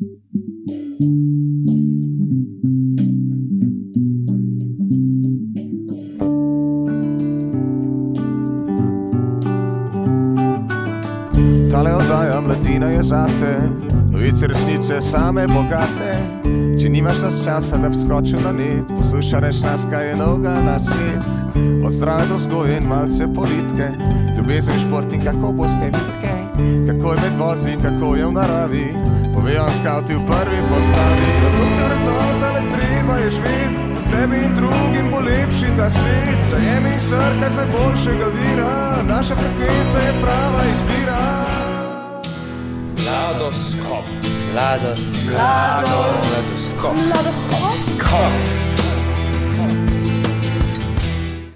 Tale oddaja mladina je zate, novice resnice same bogate. Če nimaš nas časa, da bi skočil na net, poslušaj reč nas, kaj je novega na svet. Od zdrave do vzgoje in malce politike, ljubezen, šport in kako boste vitke, kako je med vozi, kako je v naravi, povejo skavti v prvi postavi. Zato ste vrednota, le treba je živeti, tebi in drugim bo lepši ta svet. Zajemi in srkaj z najboljšega vira, naša frekvenca je prava izbira. Mladoskop.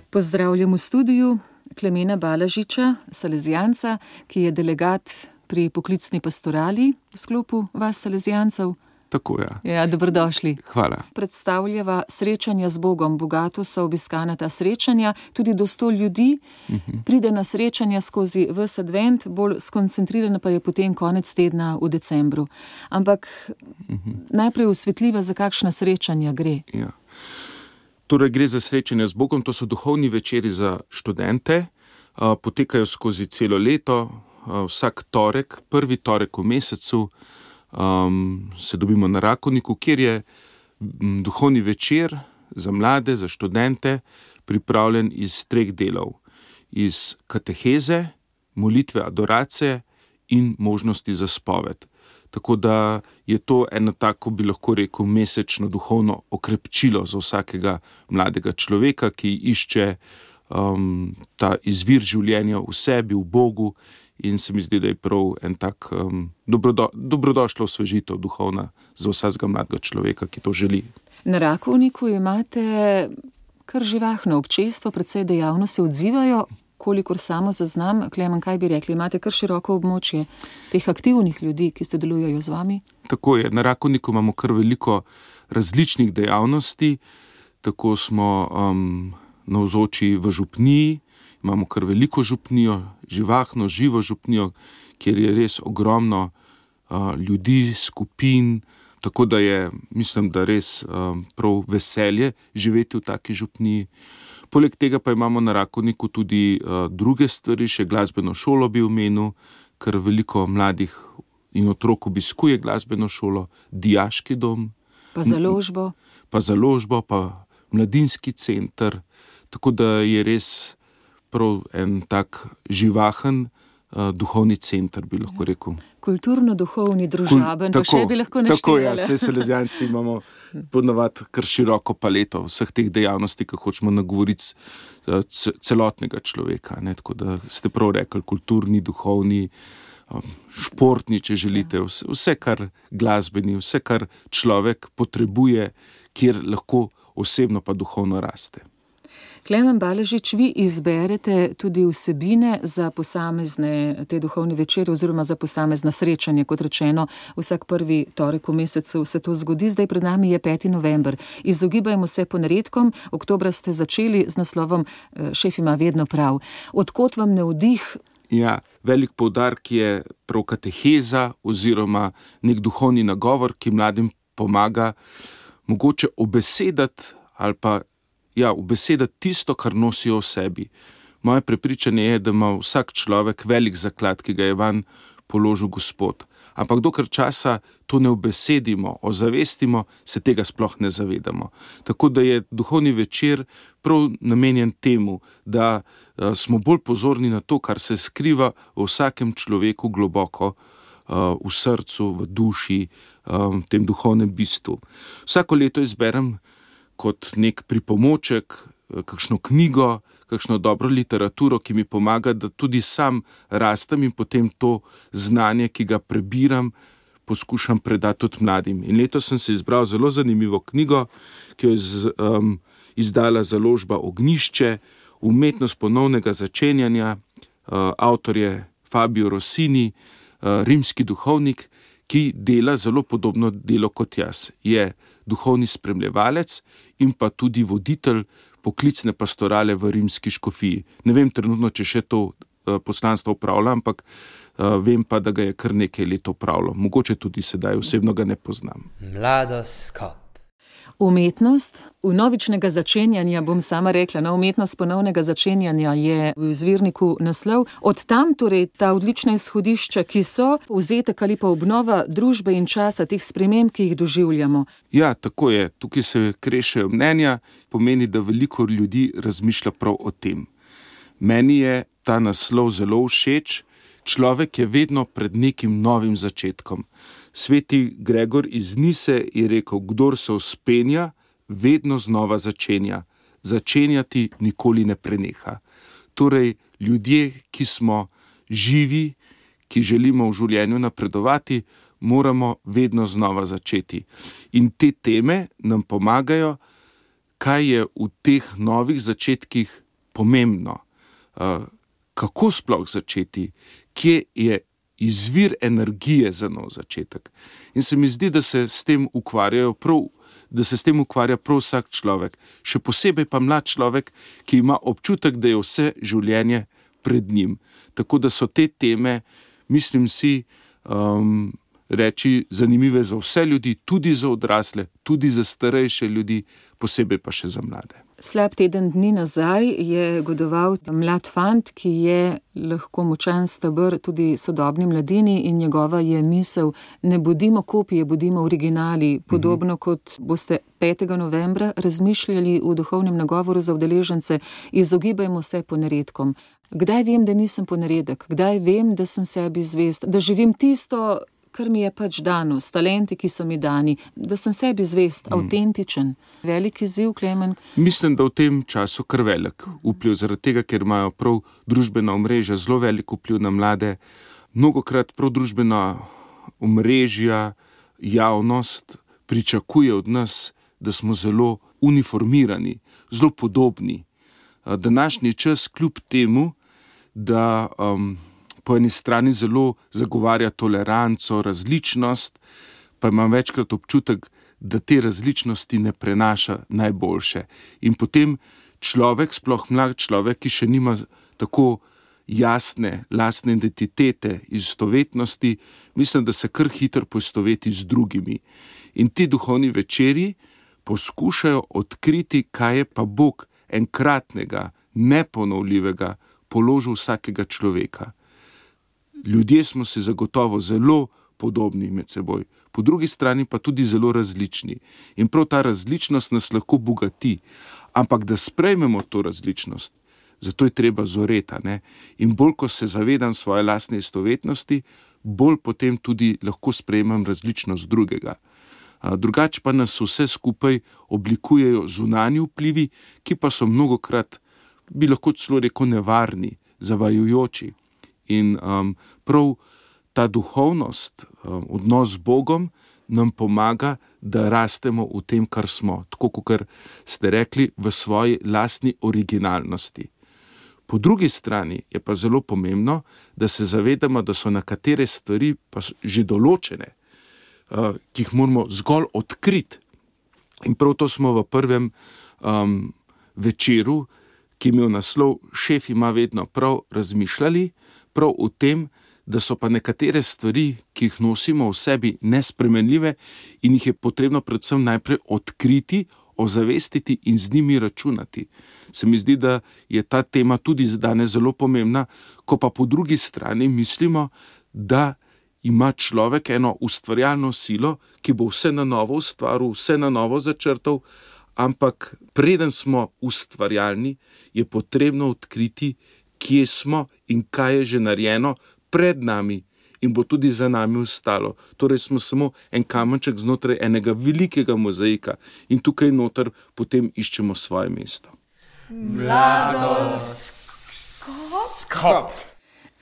Pozdravljam v studiu Klemena Balažiča, salezijanca, ki je delegat pri poklicni pastorali v sklopu vas salezijancev. Tako je. Ja, dobrodošli. Hvala. Predstavljava srečanja z Bogom. Bogato so obiskana ta srečanja, tudi do 100 ljudi. Pride na srečanja skozi ves advent, bolj skoncentrirana pa je potem konec tedna v decembru. Ampak najprej osvetljiva, za kakšna srečanja gre. Ja. Torej gre za srečanja z Bogom, to so duhovni večeri za študente, potekajo skozi celo leto, vsak torek, prvi torek v mesecu, se dobimo na Rakovniku, kjer je duhovni večer za mlade, za študente, pripravljen iz 3 delov. Iz kateheze, molitve, adoracije in možnosti za spoved. Tako da je to eno tako, bi lahko rekel, mesečno duhovno okrepčilo za vsakega mladega človeka, ki išče ta izvir življenja v sebi, v Bogu, in se mi zdi, da je prav en tak dobrodošla osvežitev duhovna za vsakega mladega človeka, ki to želi. Na Rakovniku imate kar živahno občestvo, precej dejavno se odzivajo, kolikor samo zaznam. Klemen, kaj bi rekli, imate kar široko območje teh aktivnih ljudi, ki se delujejo z vami? Tako je, na Rakovniku imamo kar veliko različnih dejavnosti, tako smo navzoči v župniji, imamo kar veliko župnijo, živahno, živo župnijo, kjer je res ogromno ljudi, skupin, tako da je, mislim, da res prav veselje živeti v taki župniji. Poleg tega pa imamo na Rakovniku tudi druge stvari, še glasbeno šolo bi omenil, ker veliko mladih in otrok obiskuje glasbeno šolo, dijaški dom. Pa založbo. Pa mladinski center, tako da je res prav en tak živahen duhovni center, bi lahko rekel. Kulturno-duhovni, družaben, pa še bi lahko naštevali. Tako je, vse salezijanci imamo ponavadi kar široko paleto vseh teh dejavnosti, ki hočemo nagovoriti celotnega človeka. Ne? Tako da ste prav rekli, kulturni, duhovni, športni, če želite, vse kar glasbeni, vse kar človek potrebuje, kjer lahko osebno pa duhovno raste. Klemen Balažič, vi izberete tudi vsebine za posamezne te duhovne večere oziroma za posamezna srečanja, kot rečeno, vsak prvi torek v mesecu se to zgodi. Zdaj pred nami je 5. november. Izogibajmo se ponaredkom. Oktobra ste začeli z naslovom Šef ima vedno prav. Odkot vam navdih? Ja, velik poudarek je prav kateheza oziroma nek duhovni nagovor, ki mladim pomaga mogoče obesedati ali pa ubesedati tisto, kar nosijo v sebi. Moje prepričanje je, da ima vsak človek velik zaklad, ki ga je vanj položil Gospod. Ampak dokler časa to ne obesedimo, ozavestimo, se tega sploh ne zavedamo. Tako da je duhovni večer prav namenjen temu, da smo bolj pozorni na to, kar se skriva v vsakem človeku globoko, v srcu, v duši, v tem duhovnem bistvu. Vsako leto izberem kot nek pripomoček, kakšno knjigo, kakšno dobro literaturo, ki mi pomaga, da tudi sam rastem in potem to znanje, ki ga prebiram, poskušam predati tudi mladim. In letos sem se izbral zelo zanimivo knjigo, ki jo je izdala založba Ognjišče, Umetnost ponovnega začenjanja, avtor je Fabio Rossini, rimski duhovnik, ki dela zelo podobno delo kot jaz. Je duhovni spremljevalec in pa tudi voditelj poklicne pastorale v rimski škofiji. Ne vem trenutno, če še to poslanstvo opravlja, ampak vem pa, da ga je kar nekaj let opravljal. Mogoče tudi sedaj, osebno ga ne poznam. Mladoskop. Umetnost vnovičnega začenjanja, bom sama rekla, umetnost ponovnega začenjanja je v izvirniku naslov. Od tam torej ta odlična izhodišča, ki so povzetek ali pa obnova družbe in časa teh sprememb, ki jih doživljamo. Ja, tako je. Tukaj se krešejo mnenja, pomeni, da veliko ljudi razmišlja prav o tem. Meni je ta naslov zelo všeč. Človek je vedno pred nekim novim začetkom. Sveti Gregor iz Nise je rekel, kdor se vzpenja, vedno znova začenja. Začenjati nikoli ne preneha. Torej, ljudje, ki smo živi, ki želimo v življenju napredovati, moramo vedno znova začeti. In te teme nam pomagajo, kaj je v teh novih začetkih pomembno. Kako sploh začeti, kje je izvir energije za nov začetek. In se mi zdi, da se s tem ukvarja prav vsak človek. Še posebej pa mlad človek, ki ima občutek, da je vse življenje pred njim. Tako da so te teme, mislim si, reči zanimive za vse ljudi, tudi za odrasle, tudi za starejše ljudi, posebej pa še za mlade. Slab teden dni nazaj je godoval mlad fant, ki je lahko močan steber tudi sodobni mladini in njegova je misel, ne bodimo kopije, bodimo originali, podobno kot boste 5. novembra razmišljali v duhovnem nagovoru za udeležence, izogibajmo se ponaredkom. Kdaj vem, da nisem ponaredek? Kdaj vem, da sem sebi zvest? Da živim tisto, kar mi je pač dano, s talenti, ki so mi dani, da sem sebi zvest, avtentičen. Velik izziv, Klemen? Mislim, da v tem času kar velik vpliv, zaradi tega, ker imajo prav družbena omrežja zelo velik vpliv na mlade. Mnogokrat prav družbena omrežja, javnost pričakuje od nas, da smo zelo uniformirani, zelo podobni. Današnji čas kljub temu, da po eni strani zelo zagovarja toleranco, različnost, pa imam večkrat občutek, da te različnosti ne prenaša najboljše. In potem človek, sploh mlad človek, ki še nima tako jasne lastne identitete, istovetnosti, mislim, da se kar hitro poistoveti z drugimi. In ti duhovni večeri poskušajo odkriti, kaj je pa Bog enkratnega, neponovljivega položil vsakega človeka. Ljudje smo si zagotovo zelo podobni med seboj, po drugi strani pa tudi zelo različni. In prav ta različnost nas lahko bogati, ampak da sprejmemo to različnost, zato je treba zoreta, ne? In bolj, ko se zavedam svoje lastne istovetnosti, bolj potem tudi lahko sprejmem različnost drugega. Drugače pa nas vse skupaj oblikujejo zunanji vplivi, ki pa so mnogokrat, bi lahko celo rekel, nevarni, zavajujoči. In prav ta duhovnost, odnos z Bogom nam pomaga, da rastemo v tem, kar smo, tako kot ste rekli, v svoji lastni originalnosti. Po drugi strani je pa zelo pomembno, da se zavedamo, da so nekatere stvari pa že določene, ki jih moramo zgolj odkriti. In prav to smo v prvem večeru, ki je imel naslov Šef ima vedno prav, razmišljali, prav o tem, da so pa nekatere stvari, ki jih nosimo v sebi, nespremenljive in jih je potrebno predvsem najprej odkriti, ozavestiti in z njimi računati. Se mi zdi, da je ta tema tudi danes zelo pomembna, ko pa po drugi strani mislimo, da ima človek eno ustvarjalno silo, ki bo vse na novo ustvaril, vse na novo začrtal, ampak preden smo ustvarjalni, je potrebno odkriti, kje smo in kaj je že narejeno pred nami in bo tudi za nami ostalo. Torej smo samo en kamenček znotraj enega velikega mozaika in tukaj noter potem iščemo svoje mesto. Mladoskop.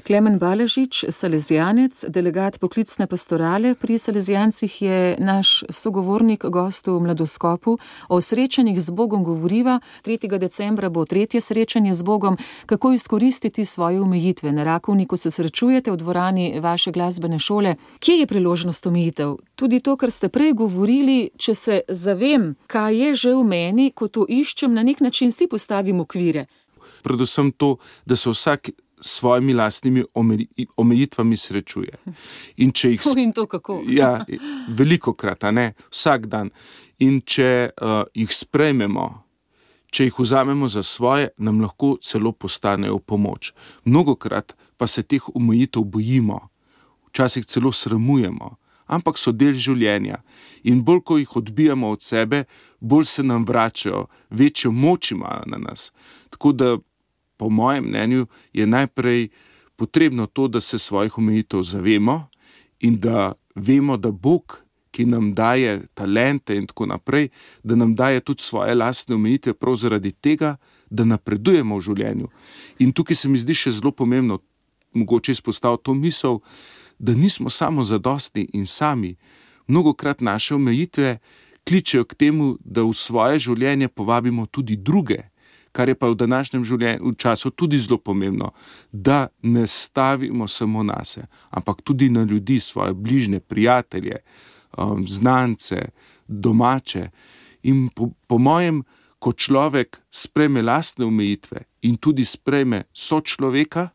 Klemen Baležič, salezijanec, delegat poklicne pastorale pri Salezijancih, je naš sogovornik, gost v Mladoskopu. O srečanjih z Bogom govoriva. 3. decembra bo 3. srečanje z Bogom. Kako izkoristiti svoje omejitve? Na Rakovniku se srečujete v dvorani vaše glasbene šole. Kje je priložnost omejitev? Tudi to, kar ste prej govorili, če se zavem, kaj je že v meni, ko to iščem, na nek način si postavim okvire. Predvsem to, da se vsak s svojimi lastnimi omejitvami srečuje. In če jih In to kako? Ja, velikokrat, a ne, vsak dan. In če jih sprejmemo, če jih vzamemo za svoje, nam lahko celo postanejo v pomoč. Mnogokrat pa se teh omejitev bojimo, včasih celo sramujemo, ampak so del življenja. In bolj, ko jih odbijamo od sebe, bolj se nam vračajo, večjo moč imajo na nas. Tako da, po mojem mnenju, je najprej potrebno to, da se svojih omejitev zavemo in da vemo, da Bog, ki nam daje talente in tako naprej, da nam daje tudi svoje lastne omejitve prav zaradi tega, da napredujemo v življenju. In tukaj se mi zdi še zelo pomembno, mogoče izpostaviti to misel, da nismo samo zadostni in sami. Mnogokrat naše omejitve kličejo k temu, da v svoje življenje povabimo tudi druge, kar je pa v današnjem v času tudi zelo pomembno, da ne stavimo samo nase, ampak tudi na ljudi, svoje bližnje, prijatelje, znance, domače. In po mojem, ko človek sprejme lastne omejitve in tudi sprejme sočloveka,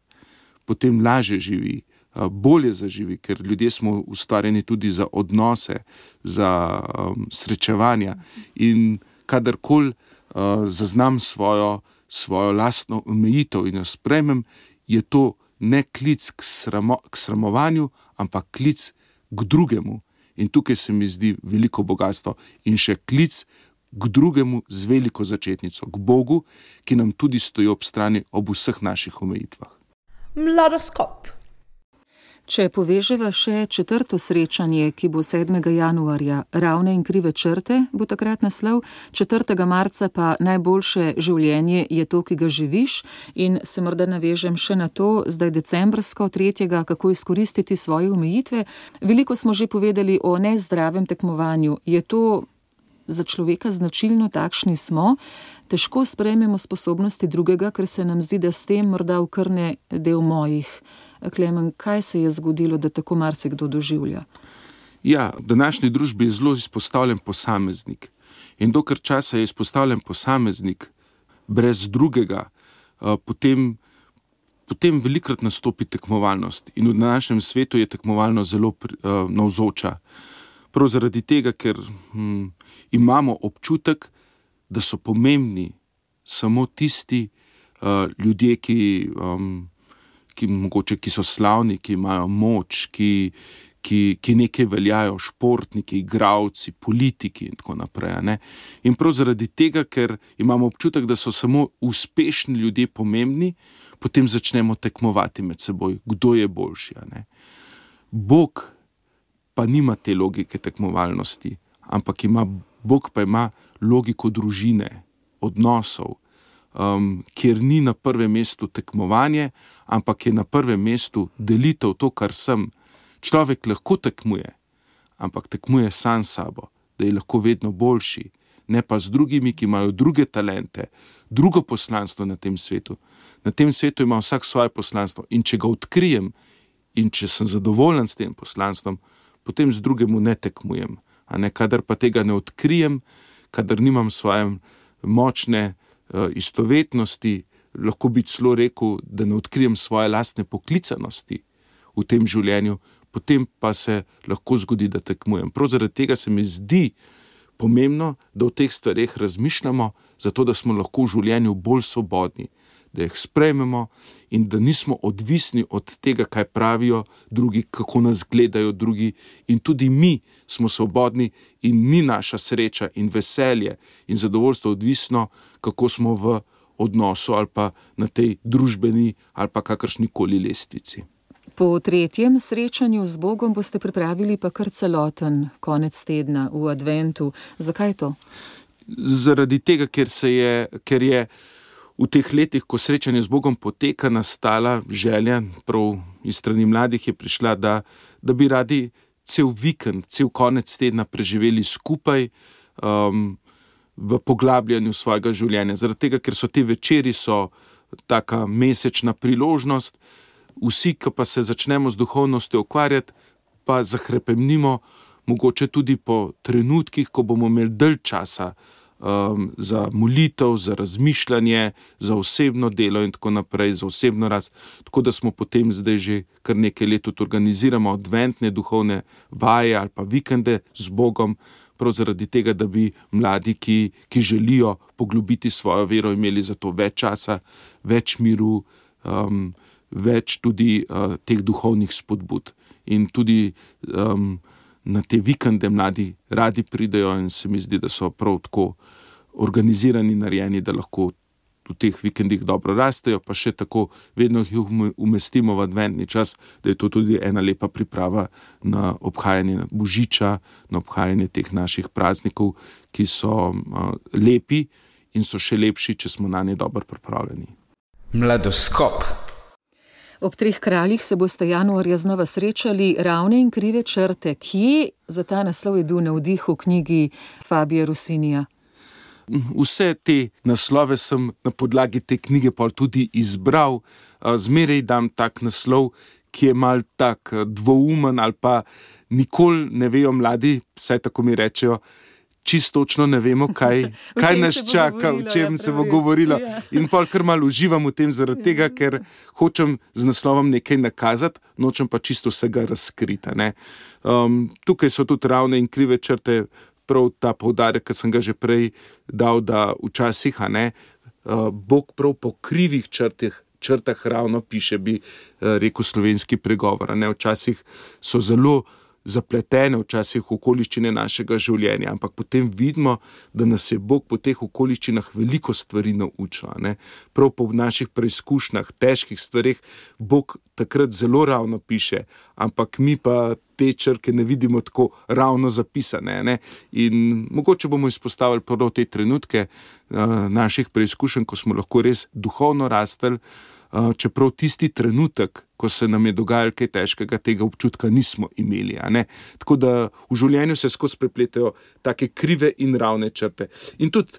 potem lažje živi, bolje zaživi, ker ljudje smo ustvarjeni tudi za odnose, za srečevanja. In kadarkoli zaznam svojo lastno omejitev in jo sprejmem, je to ne klic k sramovanju, ampak klic k drugemu. In tukaj se mi zdi veliko bogastvo in še klic k drugemu z veliko začetnico, k Bogu, ki nam tudi stoji ob strani ob vseh naših omejitvah. Mladoskop. Če poveževa še 4. srečanje, ki bo 7. januarja, Ravne in krive črte, bo takrat naslov, 4. marca pa Najboljše življenje je to, ki ga živiš, in se morda navežem še na to, zdaj decembrsko 3. kako izkoristiti svoje omejitve. Veliko smo že povedali o nezdravem tekmovanju. Je to za človeka značilno, takšni smo? Težko sprejmemo sposobnosti drugega, ker se nam zdi, da s tem morda okrne del mojih. Klemen, kaj se je zgodilo, da tako marsikdo doživlja? Ja, v današnji družbi je zelo izpostavljen posameznik. In dokler časa je izpostavljen posameznik brez drugega, potem velikokrat nastopi tekmovalnost. In v današnjem svetu je tekmovalnost zelo navzoča. Prav zaradi tega, ker imamo občutek, da so pomembni samo tisti ljudje, ki so slavni, ki imajo moč, ki nekaj veljajo, športniki, igralci, politiki in tako naprej. Ne? In prav zaradi tega, ker imamo občutek, da so samo uspešni ljudje pomembni, potem začnemo tekmovati med seboj, kdo je boljši. Ne? Bog pa nima te logike tekmovalnosti, ampak Bog pa ima logiko družine, odnosov, kjer ni na prvem mestu tekmovanje, ampak je na prvem mestu delitev to, kar sem. Človek lahko tekmuje, ampak tekmuje sam sabo, da je lahko vedno boljši, ne pa z drugimi, ki imajo druge talente, drugo poslanstvo na tem svetu. Na tem svetu ima vsak svoje poslanstvo in če ga odkrijem in če sem zadovoljen s tem poslanstvom, potem z drugemu ne tekmujem. Kadar pa tega ne odkrijem, kadar nimam svoje močne istovetnosti, lahko bi celo rekel, da ne odkrijem svoje lastne poklicanosti v tem življenju, potem pa se lahko zgodi, da tekmujem. Prav zaradi tega se mi zdi pomembno, da o teh stvareh razmišljamo, zato da smo lahko v življenju bolj svobodni, da jih sprejmemo in da nismo odvisni od tega, kaj pravijo drugi, kako nas gledajo drugi, in tudi mi smo svobodni in ni naša sreča in veselje in zadovoljstvo odvisno, kako smo v odnosu ali pa na tej družbeni ali pa kakršnikoli lestvici. Po 3. srečanju z Bogom boste pripravili pa kar celoten konec tedna v adventu. Zakaj to? Zaradi tega, ker je v teh letih, ko srečanje z Bogom poteka, nastala želja, prav iz strani mladih je prišla, da bi radi cel vikend, cel konec tedna preživeli skupaj v poglabljanju svojega življenja. Zaradi tega, ker so te večeri taka mesečna priložnost, vsi, ki pa se začnemo z duhovnostjo ukvarjati, pa zahrepemnimo, mogoče tudi po trenutkih, ko bomo imeli dalj časa za molitev, za razmišljanje, za osebno delo in tako naprej, za osebno rast. Tako da smo potem zdaj že kar nekaj let tudi organiziramo adventne duhovne vaje ali pa vikende z Bogom, prav zaradi tega, da bi mladi, ki želijo poglobiti svojo vero, imeli za to več časa, več miru, več tudi teh duhovnih spodbud. In tudi na te vikende mladi radi pridejo in se mi zdi, da so prav tako organizirani, narejeni, da lahko v teh vikendih dobro rastejo, pa še tako vedno jih umestimo v adventni čas, da je to tudi ena lepa priprava na obhajanje Božiča, na obhajanje teh naših praznikov, ki so lepi in so še lepši, če smo na nje dobro pripravljeni. Mladoskop. Ob Treh kraljih se boste januarja znova srečali. Ravne in krive črte. Kje za ta naslov je bil navdih v knjigi Fabija Rossinija? Vse te naslove sem na podlagi te knjige pol tudi izbral. Zmeraj dam tak naslov, ki je mal tak dvoumen ali pa nikoli ne vejo mladi, vsaj tako mi rečejo, čisto točno ne vemo, kaj nas čaka, o čem se bo govorilo. In pol kar malo uživam v tem zaradi tega, ker hočem z naslovom nekaj nakazati, nočem pa čisto vsega razkriti. Tukaj so tudi ravne in krive črte, prav ta poudarek, ki sem ga že prej dal, da včasih Bog prav po krivih črtah ravno piše, bi rekel slovenski pregovor. Včasih so zelo zapletene, včasih okoliščine našega življenja, ampak potem vidimo, da nas je Bog po teh okoliščinah veliko stvari naučil. Prav po naših preizkušnjah, težkih stvareh, Bog takrat zelo ravno piše, ampak mi pa te črke ne vidimo tako ravno zapisane. In mogoče bomo izpostavili prav te trenutke naših preizkušenj, ko smo lahko res duhovno rastli, čeprav tisti trenutek, ko se nam je dogajalo kaj težkega, tega občutka nismo imeli. Tako da v življenju se skozi prepletajo take krive in ravne črte. In tudi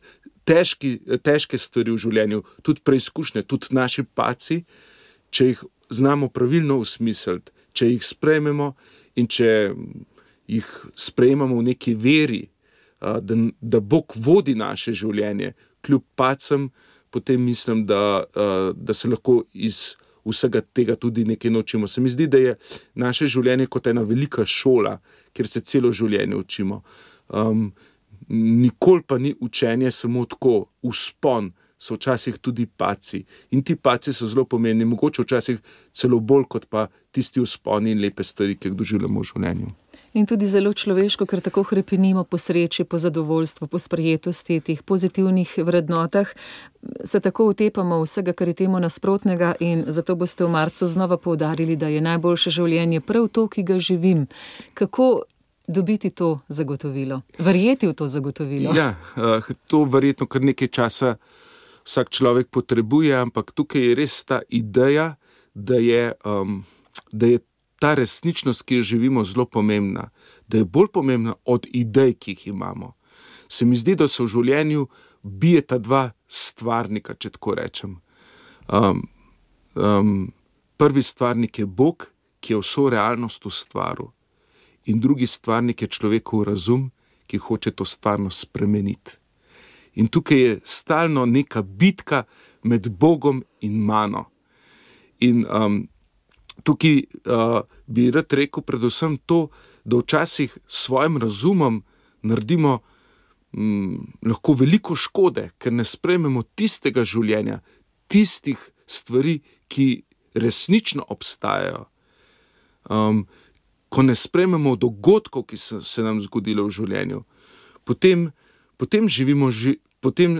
težke stvari v življenju, tudi preizkušnje, tudi naši padci, če jih znamo pravilno usmisliti, če jih sprejmemo in če jih sprejmemo v neki veri, da Bog vodi naše življenje, kljub padcem, potem mislim, da se lahko iz vsega tega tudi nekaj naučimo. Se mi zdi, da je naše življenje kot ena velika šola, kjer se celo življenje učimo. Nikoli pa ni učenje samo tako, vzpon, so včasih tudi padci. In ti padci so zelo pomembni, mogoče včasih celo bolj kot pa tisti vzponi in lepe stvari, ki jih doživljamo v življenju. In tudi zelo človeško, ker tako hrepenimo po sreči, po zadovoljstvu, po sprejetosti, teh pozitivnih vrednotah, se tako utepamo vsega, kar je temu nasprotnega, in zato boste v marcu znova poudarili, da je najboljše življenje prav to, ki ga živim. Kako dobiti to zagotovilo? Verjeti v to zagotovilo? Ja, to verjetno kar nekaj časa vsak človek potrebuje, ampak tukaj je res ta ideja, da je ta resničnost, ki jo živimo, zelo pomembna, da je bolj pomembna od idej, ki jih imamo. Se mi zdi, da se v življenju bijeta dva stvarnika, če tako rečem. Prvi stvarnik je Bog, ki je vso realnost ustvaril, in drugi stvarnik je človekov razum, ki hoče to stvarnost spremeniti. In tukaj je stalno neka bitka med Bogom in mano. In tukaj bi rad rekel predvsem to, da včasih s svojim razumom naredimo lahko veliko škode, ker ne sprejmemo tistega življenja, tistih stvari, ki resnično obstajajo. Ko ne sprejmemo dogodkov, ki so se nam zgodilo v življenju, potem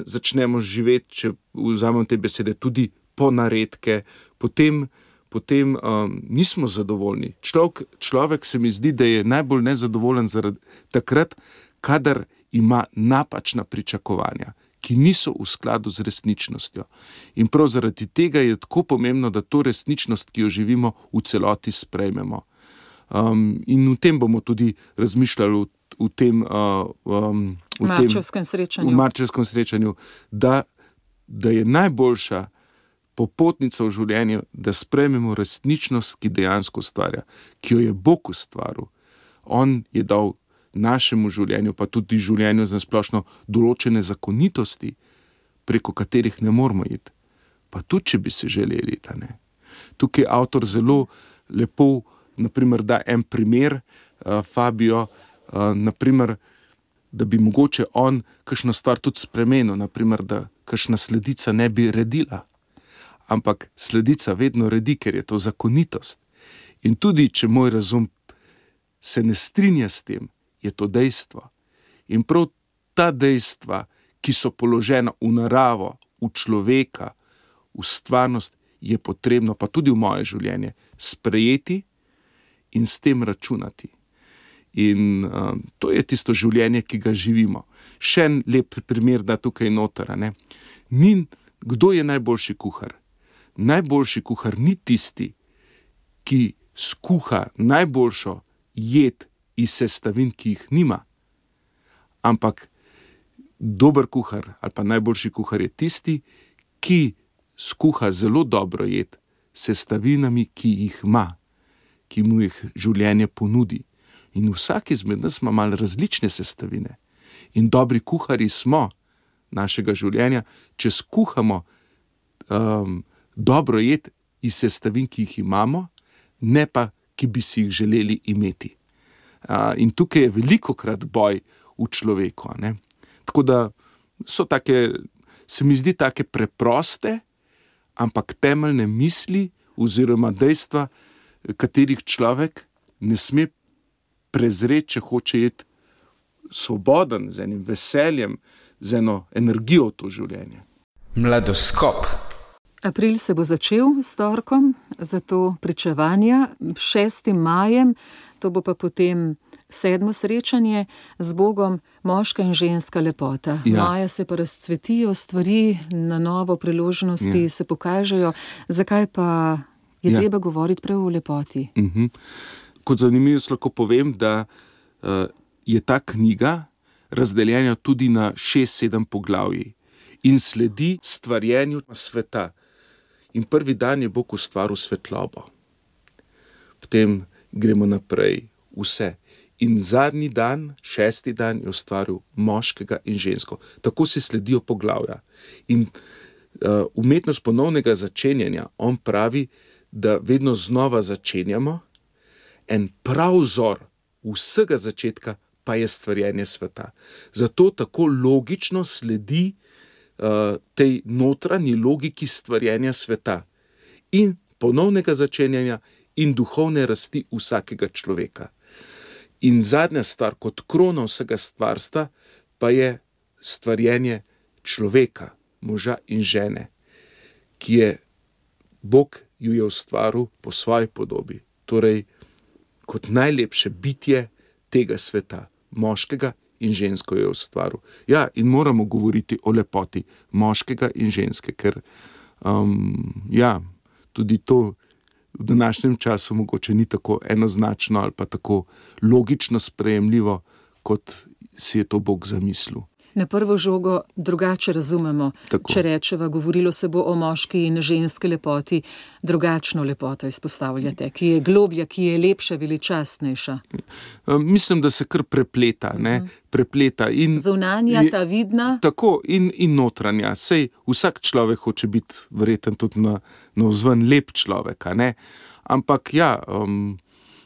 začnemo živeti, če vzamem te besede, tudi po naredke, potem nismo zadovoljni. Človek se mi zdi, da je najbolj nezadovoljen zaradi takrat, kadar ima napačna pričakovanja, ki niso v skladu z resničnostjo. In prav zaradi tega je tako pomembno, da to resničnost, ki jo živimo, v celoti sprejmemo. In v tem bomo tudi razmišljali v tem marčevskem srečanju, da je najboljša popotnica v življenju, da sprejmemo resničnost, ki dejansko ustvarja, ki jo je Bog ustvaril. On je dal našemu življenju, pa tudi življenju na splošno določene zakonitosti, preko katerih ne moramo iti. Pa tudi, če bi se želeli iti, ne. Tukaj avtor zelo lepo, naprimer, da en primer, Fabio, naprimer, da bi mogoče on kakšno stvar tudi spremenil, naprimer, da kakšna sledica ne bi redila. Ampak sledica vedno redi, ker je to zakonitost. In tudi, če moj razum se ne strinja s tem, je to dejstvo. In prav ta dejstva, ki so položena v naravo, v človeka, v stvarnost, je potrebno, pa tudi v moje življenje, sprejeti in s tem računati. In to je tisto življenje, ki ga živimo. Še en lep primer, da tukaj noter, ne. Kdo je najboljši kuhar? Najboljši kuhar ni tisti, ki skuha najboljšo jed iz sestavin, ki jih nima. Ampak dober kuhar ali pa najboljši kuhar je tisti, ki skuha zelo dobro jed s sestavinami, ki jih ima, ki mu jih življenje ponudi. In vsak izmed nas ima malo različne sestavine. In dobri kuharji smo našega življenja, če skuhamo dobro jed iz sestavin, ki jih imamo, ne pa, ki bi si jih želeli imeti. In tukaj je velikokrat boj v človeku, ne. Tako da so take, se mi zdi take preproste, ampak temeljne misli oziroma dejstva, katerih človek ne sme prezreti, če hoče iti svoboden, z enim veseljem, z eno energijo v to življenje. Mladoskop. April se bo začel s torkom, zato pričevanja 6. majem, to bo pa potem 7. srečanje z Bogom, moška in ženska lepota. Ja. Maja se pa razcvetijo stvari, na novo priložnosti se pokažejo. Zakaj pa je treba govoriti prav o lepoti? Kot zanimivost lahko povem, da je ta knjiga razdeljena tudi na 6-7 poglavij in sledi stvarjenju sveta. In prvi dan je Bog ustvaril svetlobo. Potem gremo naprej vse. In zadnji dan, 6. dan, je ustvaril moškega in žensko. Tako se sledijo poglavja. In umetnost ponovnega začenjanja, on pravi, da vedno znova začenjamo. En prav vzor vsega začetka pa je stvarjenje sveta. Zato tako logično sledi tej notranji logiki stvarjenja sveta in ponovnega začenjanja in duhovne rasti vsakega človeka. In zadnja stvar, kot krona vsega stvarstva, pa je stvarjenje človeka, moža in žene, ki je Bog ju je ustvaril po svoji podobi, torej kot najlepše bitje tega sveta, moškega in žensko je ustvaril. Ja, in moramo govoriti o lepoti moškega in ženske, ker tudi to v današnjem času mogoče ni tako enoznačno ali pa tako logično sprejemljivo, kot si je to Bog zamislil. Na prvo žogo drugače razumemo. Tako. Če rečeva, govorilo se bo o moški in ženski lepoti, drugačno lepoto izpostavljate, ki je globlja, ki je lepša, veličastnejša. Mislim, da se kar prepleta, ne? Prepleta. In zunanja, ta vidna. Tako, in notranja. Sej vsak človek hoče biti verjetno tudi navzven lep človek, a ne? Ampak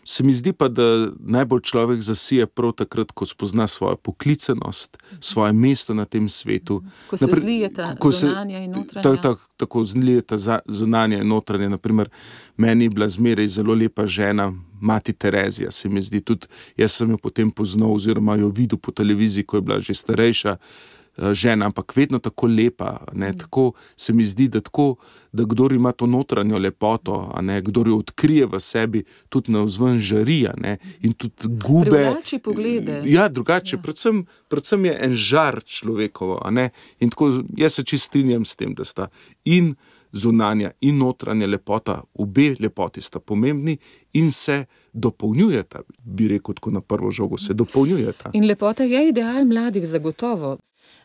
se mi zdi pa, da najbolj človek zasije prav takrat, ko spozna svojo poklicanost, svoje mesto na tem svetu. Ko se zlijeta zunanja in notranja. Tako zlijeta zunanja in notranja. Naprimer, meni je bila zmeraj zelo lepa žena, mati Terezija, se mi zdi. Tudi jaz sem jo potem poznal oziroma jo videl po televiziji, ko je bila že starejša žena, ampak vedno tako lepa, ne, tako se mi zdi, da kdor ima to notranjo lepoto, ne, kdor jo odkrije v sebi, tudi navzven žari, ne, in tudi gube. Drugače poglede. Ja, drugače, predvsem je en žar človekovo, ne, in tako jaz se čisto strinjam s tem, da sta in zunanja in notranja lepota, obe lepoti sta pomembni in se dopolnjujeta, bi rekel tako na prvo žogo, se dopolnjujeta. In lepota je ideal mladih zagotovo.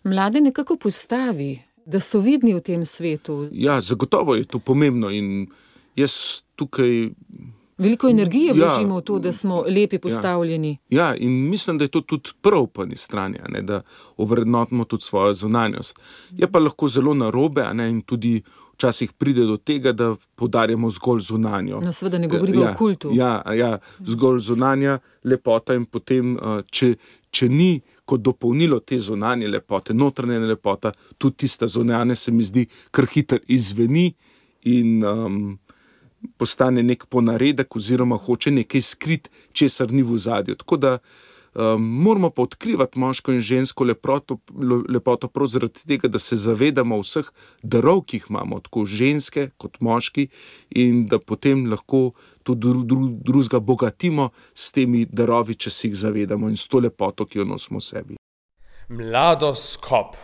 Mlade nekako postavi, da so vidni v tem svetu. Ja, zagotovo je to pomembno in jaz tukaj Veliko energije vložimo v to, da smo lepi postavljeni. Ja, in mislim, da je to tudi prav po eni strani, ne, da ovrednotimo tudi svojo zunanjost. Je pa lahko zelo narobe, ne, in tudi včasih pride do tega, da poudarjamo zgolj zunanjo. No, seveda ne govorimo o kultu. Ja, zgolj zunanja lepota in potem, če ni kot dopolnilo te zunanje lepote, notranja lepota, tudi tista zunanja se mi zdi kar hitro izzveni in postane nek ponaredek oziroma hoče nekaj skrit, česar ni v ozadju. Tako da moramo pa odkrivati moško in žensko lepoto prav zaradi tega, da se zavedamo vseh darov, ki jih imamo, tako ženske kot moški, in da potem lahko tudi drugega bogatimo s temi darovi, če se jih zavedamo, in s to lepoto, ki jo nosimo v sebi. Mladoskop.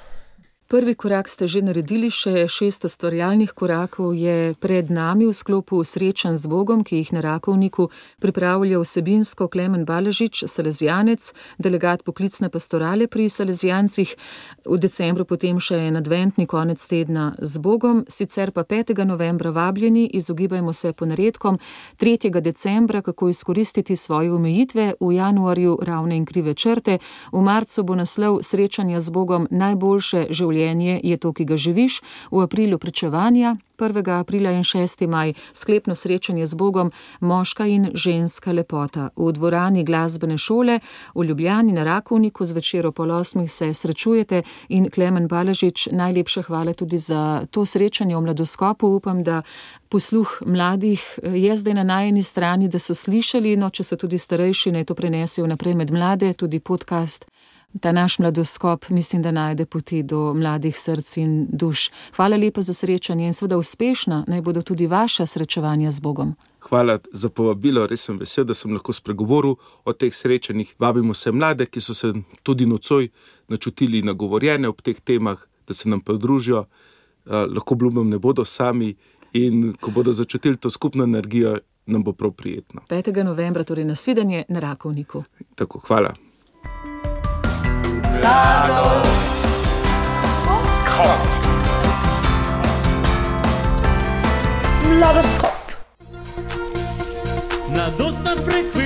Prvi korak ste že naredili, še 6 ustvarjalnih korakov je pred nami v sklopu srečanj z Bogom, ki jih na Rakovniku pripravlja vsebinsko Klemen Baležič, salezijanec, delegat poklicne pastorale pri salezijancih. V decembru potem še en adventni konec tedna z Bogom, sicer pa 5. novembra vabljeni, izogibajmo se ponaredkom, 3. decembra, kako izkoristiti svoje omejitve, v januarju ravne in krive črte, v marcu bo naslov srečanja z Bogom najboljše življenje je to, ki ga živiš, v aprilu pričevanja, 1. aprila in 6. maj sklepno srečanje z Bogom, moška in ženska lepota. V dvorani glasbene šole v Ljubljani na Rakovniku zvečer ob 8. se srečujete in Klemen Baležič, najlepša hvala tudi za to srečanje v Mladoskopu. Upam, da posluh mladih je zdaj na najini strani, da so slišali, no, če so tudi starejši, naj to prenesejo naprej med mlade, tudi podcast. Ta naš Mladoskop mislim, da najde poti do mladih src in duš. Hvala lepa za srečanje in seveda uspešna naj bodo tudi vaša srečevanja z Bogom. Hvala za povabilo, res sem vesel, da sem lahko spregovoril o teh srečanjih. Vabimo se mlade, ki so se tudi nocoj načutili nagovorjene ob teh temah, da se nam pridružijo. Lahko obljubim, ne bodo sami in ko bodo začutili to skupno energijo, nam bo prav prijetno. 5. novembra, torej nasvidenje na Rakovniku. Tako, hvala. Mladoskop. Mladostna frekvenca.